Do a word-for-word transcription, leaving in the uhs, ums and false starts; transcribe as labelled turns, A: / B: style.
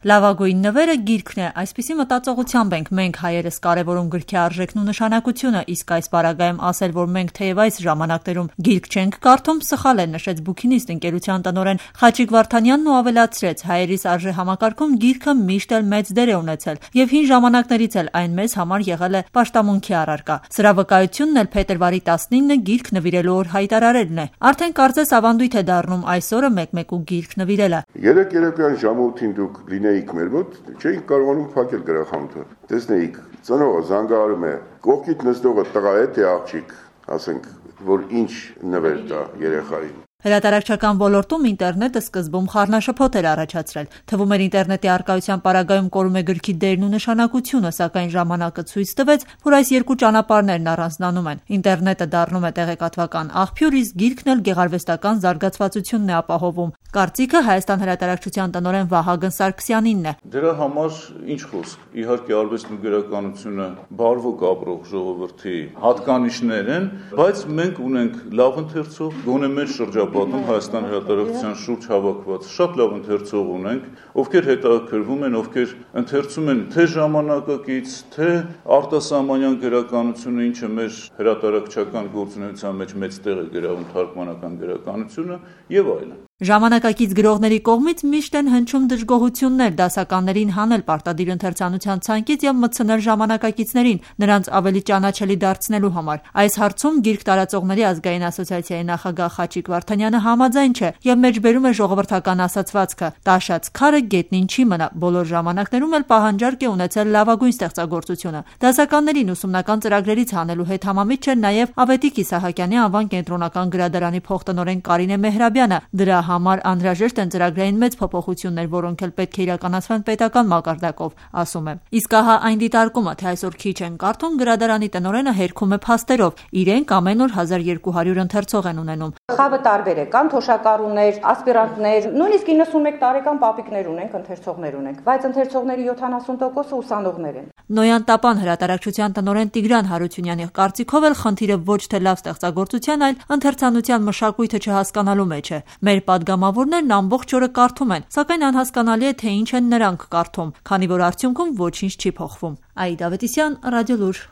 A: Լավագույն նվերը գիրքն է, այսպիսի մտածողությամբ ենք մենք հայերս կարևորում գրքի արժեքն ու նշանակությունը, իսկ այս պարագայում ասել, որ մենք թեև այս ժամանակներում գիրք չենք կարդում, սխալ է, նշեց Բուքինիստ ընկերության տնօրեն Խաչիկ Վարդանյանն ու ավելացրեց. հայերիս արժեհամակարգում գիրքը միշտ էլ մեծ դեր է ունեցել եւ հին ժամանակներից էլ այն մեզ համար եղել է պաշտամունքի առարկա։ Սրա վկայությունն էլ փետրվարի տասնինը գիրք նվիրելու օր հայտարարելն է։ Արդեն կարծես ավանդույթ է դառնում այս օրը մեկ-մեկու գիրք նվիրելը։
B: Երեք երեկոյան ժամը ութին դուք լինեիք մեր մոտ, չէինք կարողանում փակել գրախանութը։ Տեսնեիք, ծնողը զանգահարում է, կողքիդ նստողը տղա է թե աղջիկ, ասենք, որ ինչ նվեր տա երեխային։
A: Հրատարակչական ոլորտում ինտերնետը սկզբում խառնաշփոթ էր առաջացրել։ Թվում էր ինտերնետի առկայության պարագայում կորում է գրքի դերն ու նշանակությունը, սակայն ժամանակը ցույց տվեց, որ այս երկու ճանապարհներն առանձնանում են։ Ինտերնետը դառնում է տեղեկատվական աղբյուր, իսկ գիրքն էլ գեղարվեստական զարգացվածությունն է ապահովում։ Կարծիքը Հայաստան հրատարակչության տնօրեն Վահագն Սարգսյանինն է։
C: Դրա համար ինչ խոսք, իհարկե արվեստն ու գրականությունը բարվոք ապրող ժողովրդի հատկանիշներ են, բայց մենք ունենք լավ ընթերցող, գոնե մեր շրջապատում Հայաստան հրատարակչության շուրջ հավաքված շատ լավ ընթերցող ունենք, ովքեր հետաքրքրվում են, ովքեր ընթերցում են թե ժամանակակից, թե արտասահմանյան գրականությունը, ինչը մեր հրատարակչական գործունեության մեջ մեծ տեղ է գրավում, թարգմանական գրականությունը եւ այլն։
A: Ժամանակակից գրողների կողմից միշտ են հնչում դժգոհություններ դասականներին հանել պարտադիր ընթերցանության ցանկից եւ մտցնել ժամանակակիցներին, նրանց ավելի ճանաչելի դարձնելու համար։ Այս հարցում գիրք տարածողների ազգային ասոցիացիայի նախագահ Խաչիկ Վարդանյանը համաձայն չէ եւ մեջբերում է ժողովրդական ասացվածքը. «Տաշած քարը գետնին չի մնա», բոլոր ժամանակներում էլ պահանջարկ է ունեցել լավագույն ստեղծագործությունը։ Դասականներին ուսումնական ծրագրերից հանելու հետ համամիջ չէ նաեւ Ավետիք Իսահակյանի անվան կենտրոնական գրադարանի փոխտնօրեն Կարինե Մեհրաբյանը։ Դրա համար անհրաժեշտ են ծրագրային մեծ փոփոխություններ, որոնք էլ պետք է իրականացվեն պետական մակարդակով, ասում է։ Իսկ ահա այն դիտարկումը, թե այսօր քիչ են կարդում, գրադարանի տնօրենը հերքում է փաստերով։ Իրենք ամեն օր հազար երկու հարյուր ընթերցող են ունենում։
D: Խավը տարբեր է, կան թոշակառուներ, ասպիրանտներ, նույնիսկ իննսունմեկ տարեկան պապիկներ ունենք, ընթերցողներ ունենք, բայց ընթերցողների յոթանասուն տոկոսը ուսանողներ են։
A: Նոյան Տապան հրատարակչության տնօրեն Տիգրան Հարությունյանի կարծիքով էլ խնդիրը ոչ թե լավ ստեղծագործության, այլ ընթերցանության մշակույթը չհասկանալու մեջ է։ Մեր պատգամավորներն ամբողջ օրը կարդում են, սակայն անհասկանալի է, թե ինչ են նրանք կարդում, քանի որ արդյունքում ոչինչ չի փոխվում։ Աիդա Ավետիսյան, Ռադիոլուր։